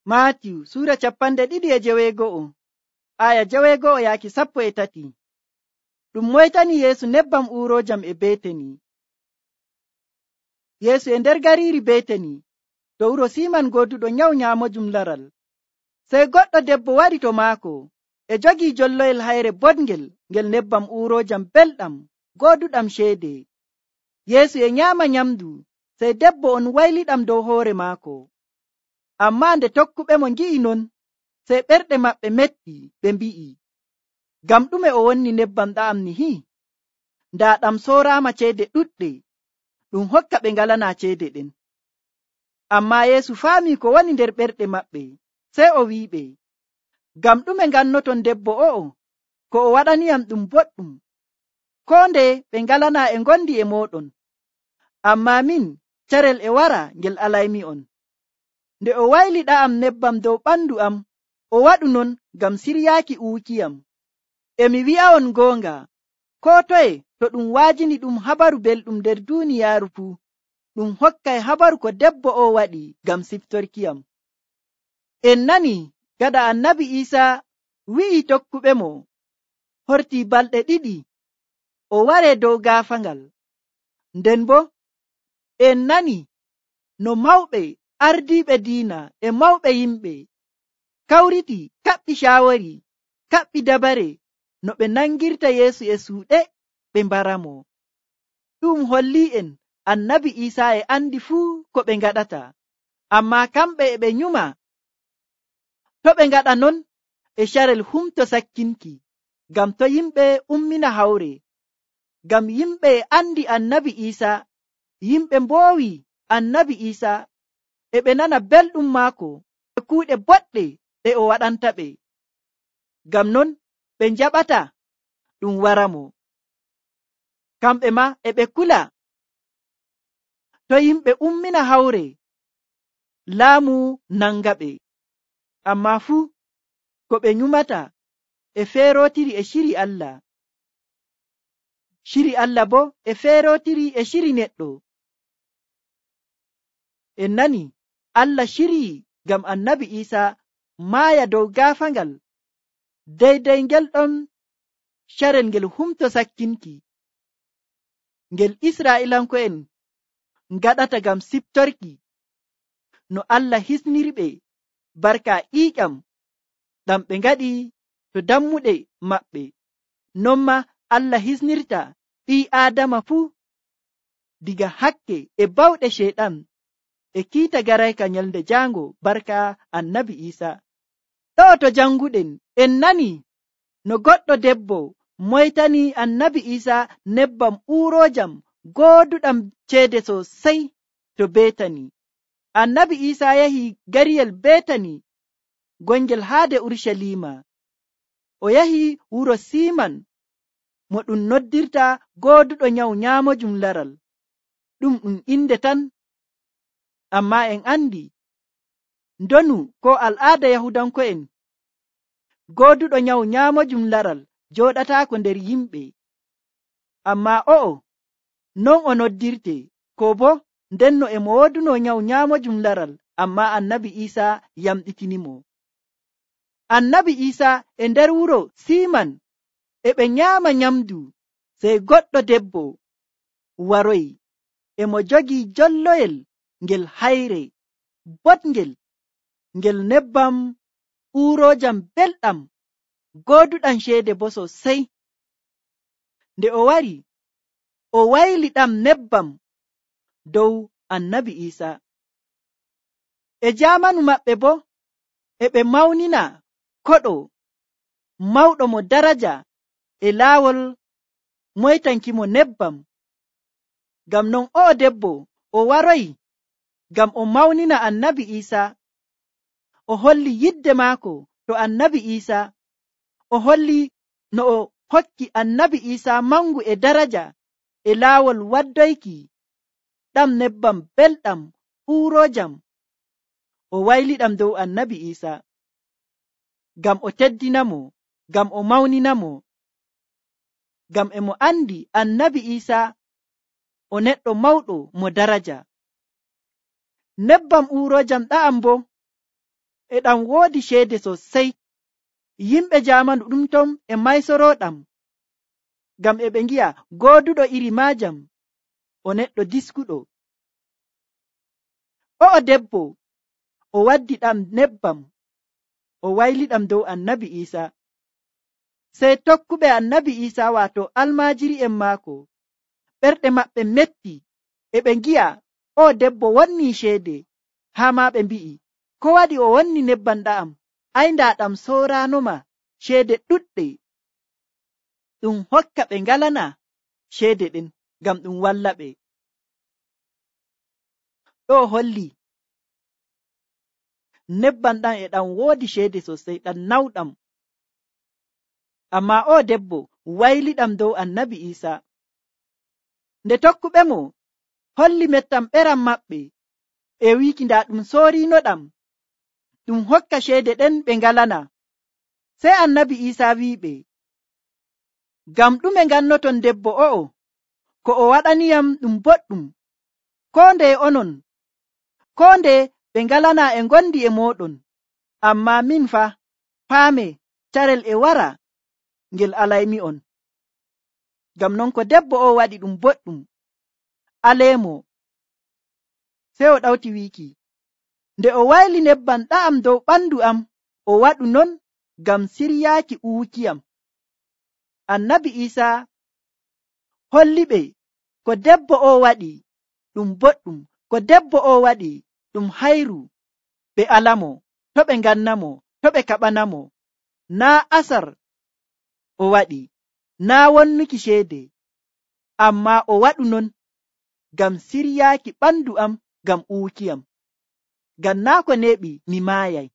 Maatiyu sura 2:60 aya 60 yaaki 13. Ɗum moytani Yeesu nebbam uurojam e Betani. Yeesu e nder gariiri Betani to wuro Siman gooduɗo nyawu nyaamojum laral. Sey goɗɗo debbo wari to maako e jogii jolloyel hayre boɗngel ngel nebbam uurojam belɗam gooduɗam ceede. Yeesu e nyaama nyamdu, sey debbo on wayliɗam dow hoore maako. Ammaa nde tokkuɓe mo ngi'i non, sey ɓerɗe maɓɓe metti, ɓe mbi'i, ngam ɗume o wonni nebbam ɗa'am nihi? Ndaa ɗam sooraama ceede ɗuɗɗe, ɗum hokka ɓe ngalanaa ceede ɗen. Ammaa Yeesu faamii ko woni nder ɓerɗe maɓɓe, sey o wi'iɓe, ngam ɗume ngannoton debbo o'o? Ko o waɗaniyam ɗum boɗɗum. Koo nde ɓe ngalanaa e ngondi e mooɗon. Ammaa min, carel e wara ngel alaymi'on. Nde o wayli ɗa'am nebbam dow ɓandu am, o waɗu non ngam siryaaki uukiyam. E mi wi'a'on goonga, koo toye to ɗum waajini ɗum habaru belɗum nder duuniyaaru fuu, ɗum hokkay habaru ko debbo o waɗi ngam siftorkiyam. En nani gaɗa Annabi Iisaa wi'i tokkuɓe mo hortii balɗe 2 o waree dow gaafangal. Nden boo en nani no mawɓe ardiiɓe diina e mawɓe yimɓe kawriti kaɓɓi caawori kaɓɓi dabare no ɓe nangirta Yeesu e suuɗe ɓe mbaramo. Ɗum holli'en Annabi Iisaa e andi fuu ko ɓe ngaɗata, ammaa kamɓe e ɓe nyuma. To ɓe ngaɗa non e carel humto sakkinki, ngam to yimɓe ummina hawre. Ngam yimɓe e andi Annabi Iisaa, yimɓe mboowi Annabi Iisaa, e ɓe nana belɗum maako e kuuɗe boɗɗe ɗe o waɗanta ɓe. Ngam non ɓe njaɓata ɗum waramo. Kamɓe ma e ɓe kula to yimɓe ummina hawre, laamu nanga ɓe. Ammaa fuu ko ɓe nyumata e feerotiri e ciri Allah. Ciri Allah bo e feerotiri e ciri neɗɗo. En nani Allah cirii ngam Annabi Iisaa maaya dow gaafangal deydey ngel ɗon carel ngel humto sakkinki ngel Israa'ilanko'en ngaɗata ngam siftorki no Allah hisnirɓe barka ƴiiƴam ɗam ɓe ngaɗi to dammuɗe maɓɓe. Non ma Allah hisnirta ɓii Aadama fuu diga hakke e bawɗe Ceyɗan e kiita garayka nyalnde jaango barka Annabi Iisaa. Ɗo to janguɗen en nani no goɗɗo debbo moytani Annabi Iisaa nebbam uurojam gooduɗam ceede sosai to Betani. Annabi Iisaa yahi gariyel Betani gongel haade Urshalima. O yahi wuro Siman mo ɗum noddirta gooduɗo nyawu nyaamojum laral. Ɗum inde tan, ammaa en andi ndonu ko al'aada Yahudanko'en, gooduɗo nyawu nyaamojum laral jooɗataako nder yimɓe. Ammaa o'o non o noddirte, ko bo ndenno e mo wooduno nyawu nyaamojum laral, ammaa Annabi Iisaa yamɗitinimo. Annabi Iisaa e nder wuro Siman e ɓe nyaama nyamdu, sey goɗɗo debbo waroyi e mo jogii jolloyel ngel hayre boɗngel ngel nebbam uurojam belɗam gooduɗam ceede bo sosai. Nde o wari o wayli ɗam nebbam dow Annabi Iisaa. E jaamanu maɓɓe bo e ɓe mawnina koɗo mawɗo mo daraja e laawol moytankimo nebbam. Ngam non o'o debbo o waroyi ngam o mawnina Annabi Iisaa, o holli yidde maako to Annabi Iisaa, o holli no o hokki Annabi Iisaa mangu e daraja e laawol waddoyki ɗam nebbam belɗam uurojam. O wayliɗam dow Annabi Iisaa ngam o teddinamo, ngam o mawninamo, ngam e mo andi Annabi Iisaa o neɗɗo mawɗo mo daraja. Nebbam uurojam ɗa'am bo e ɗam woodi ceede sosai. Yimɓe jamanu ɗum ton e maysoroɗam, ngam e ɓe ngi'a gooduɗo iri maajam o neɗɗo diskuɗo. O'o debbo o waddi ɗam nebbam o wayliɗam dow annabi Isa. Sey tokkuɓe annabi Isa waato almaajiri'en maako ɓerɗe maɓɓe metti e ɓe ngi'a o debbo wonni ceede, haa ma ɓe mbi'i, ko waɗi o wonni nebbam ɗa'am? Ai ndaa ɗam sooranoma ceede ɗuɗɗe. Ɗum hokka ɓe ngalana ceede ɗen ngam ɗum walla ɓe. Ɗo holli nebbam ɗam e ɗam woodi ceede sosai, ɗam nawɗam. Amma o debbo wayliɗam dow annabi Isa. Nde tokkuɓe mo holli mettam ɓeram maɓɓe e wiki nda ɗum soorinoɗam, ɗum hokka ceede ɗen ɓe ngalana. Sey annabi Isa wi'iɓe, ngam ɗume ngannoton debbo o'o? Ko o waɗaniyam ɗum boɗɗum. Ko ndeye onon, ko nde ɓe ngalana e ngondi e moɗon, amma min fa paame carel e wara ngel alaymi'on. Ngam non ko debbo o waɗi ɗum boɗɗum, aleemo. Sey o ɗawti wiki, nde o wayli nebbam ɗa'am dow ɓandu am, o waɗu non ngam siryaaki uwukiyam. Annabi Isa holli ɓe ko debbo o waɗi ɗum boɗɗum, ko debbo o waɗi ɗum hayru. Ɓe alamo, to ɓe ngannamo, to ɓe kaɓanamo. Naa asar o waɗi, naa wonnuki ceede, amma o waɗu non ngam siryaaki ɓandu am, ngam uwukiyam, ngam naa ko neeɓi mi maayay.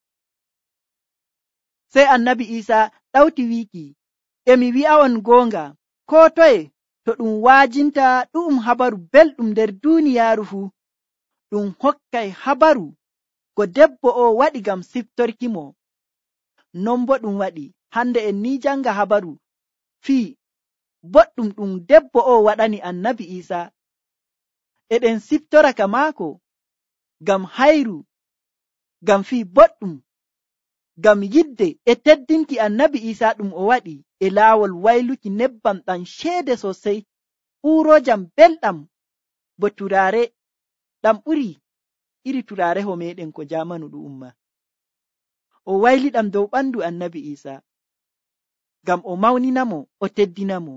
Sey annabi Isa ɗawti wiki, emi wi'a'on goonga, ko toye to ɗum waajinta ɗu'um habaru belɗum nder duuniyaaru fuu, ɗum hokkay habaru ko debbo o waɗi ngam siftorki mo. Non bo ɗum waɗi hande en ni janga habaru fii boɗɗum ɗum debbo o waɗani annabi Isa. Eɗen siftora ka maako ngam hayru, ngam fii boɗɗum, ngam yidde e teddinki annabi Isa ɗum o waɗi e laawol wayluki nebbam ɗam ceede sosai, uurojam belɗam bo turaare ɗam ɓuri iri turareho meɗen ko jamanu ɗum umma. O wayliɗam dow ɓandu annabi Isa ngam o mawninamo, o teddinamo.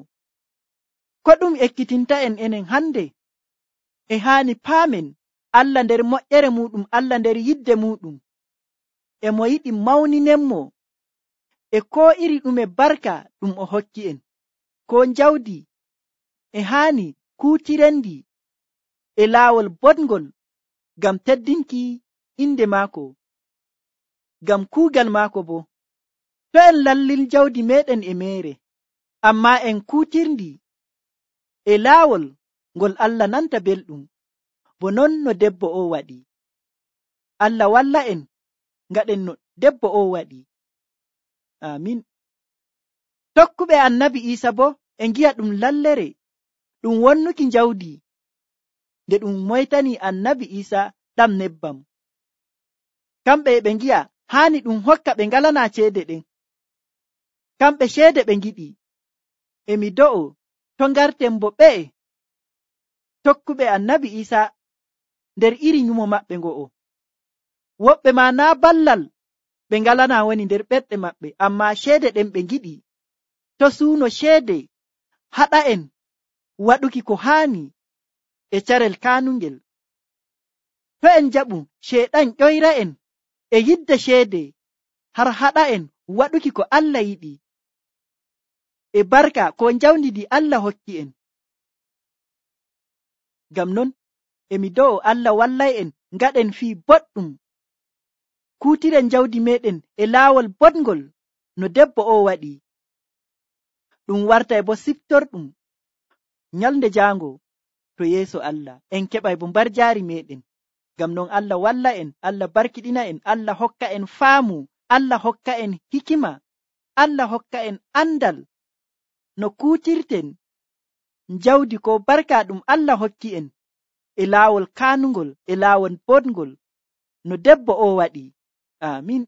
Ko ɗum ekkitinta en enen hande, e haani paamen Allah nder moƴƴere muɗum, Allah nder yidde muɗum, e mo yiɗi mawninenmo e ko iri ɗume barka ɗum o hokki en, ko jawdi e haani kuutirendi e laawol boɗngol ngam teddinki inde maako, ngam kuugal maako bo. To en lallil jawdi meɗen e meere, amma en kuutirndi e laawol ngol Allah nanta belɗum, bo non no debbo o waɗi. Allah walla en ngaɗen no debbo o waɗi. Amin. Tokkuɓe annabi Isa bo e ngi'a ɗum lallere, ɗum wonnuki jawdi nde ɗum moytani annabi Isa ɗam nebbam. Kamɓe e ɓe ngi'a haani ɗum hokka ɓe ngalana ceede ɗen. Kamɓe ceede ɓe ngiɗi. Emi do'o to ngarten bo ɓe tokkuɓe annabi Isa nder iri nyumo maɓɓe ngo'o. Woɓɓe ma naa ballal ɓe ngalana woni nder ɓerɗe maɓɓe, amma ceede ɗen ɓe ngiɗi. To suuno ceede haɗa en waɗuki ko haani e carel kaanungel. To en jaɓu ceeɗan ƴoyra en e yidde ceede har haɗa en waɗuki ko Allah yiɗi e barka ko njawdidi Allah hokki en. Ngam non emi do'o Allah wallay en ngaɗen fii boɗɗum, kuutiren jawdi meɗen e laawol boɗngol no debbo o waɗi. Ɗum wartay bo siftorɗum nyalnde jaango to yeeso Allah, en keɓay bo mbarjaari meɗen. Ngam non Allah walla en, Allah barkiɗina en, Allah hokka en faamu, Allah hokka en hikima, Allah hokka en andal no kuutirten jawdi ko barka ɗum Allah hokki en e laawol kaanungol, e laawol boɗngol no debbo o waɗi. amin.